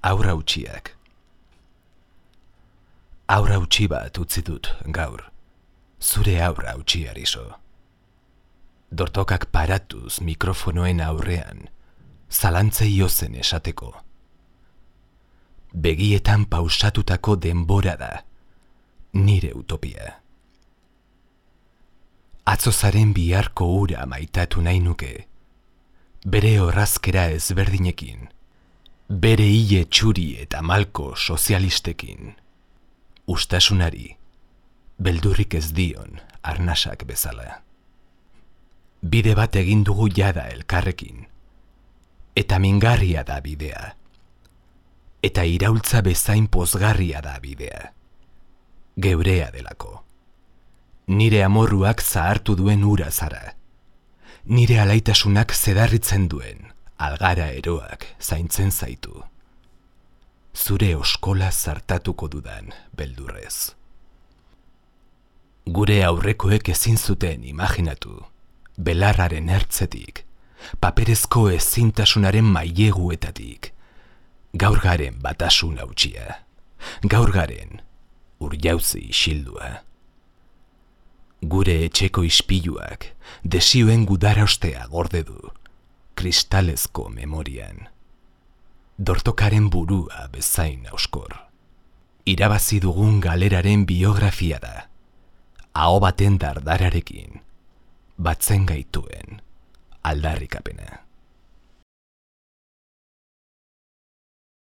Aurra utxiak. Aurra utxi bat utzi dut gaur, zure aurra utxi Ariso. Dortokak paratuz mikrofonoen aurrean, zalantzei ozen esateko. Begietan pausatutako denbora da, nire utopia. Atzozaren biharko ura maitatu nahi nuke, bere orrazkera ezberdinekin, bere hile txuri eta malko sozialistekin, ustasunari, beldurrik ez dion arnasak bezala. Bide bat egin dugu jada elkarrekin, eta mingarria da bidea, eta iraultza bezain pozgarria da bidea, geurea delako. Nire amorruak zahartu duen ura zara, nire alaitasunak zedarritzen duen algara eroak zaintzen zaitu. Zure oskola zartatuko dudan beldurrez. Gure aurrekoek ezin zuten imaginatu, belarraren ertzetik, paperezko ezintasunaren maileguetatik, gaur garen batasun hautsia, gaur garen urjauzi isildua. Gure etxeko ispiluak desioen gudarostea gorde du, kristalezko memorian. Dortokaren burua bezain auskor. Irabazi dugun galeraren biografia da, aho baten dardararekin, batzen gaituen aldarrikapena.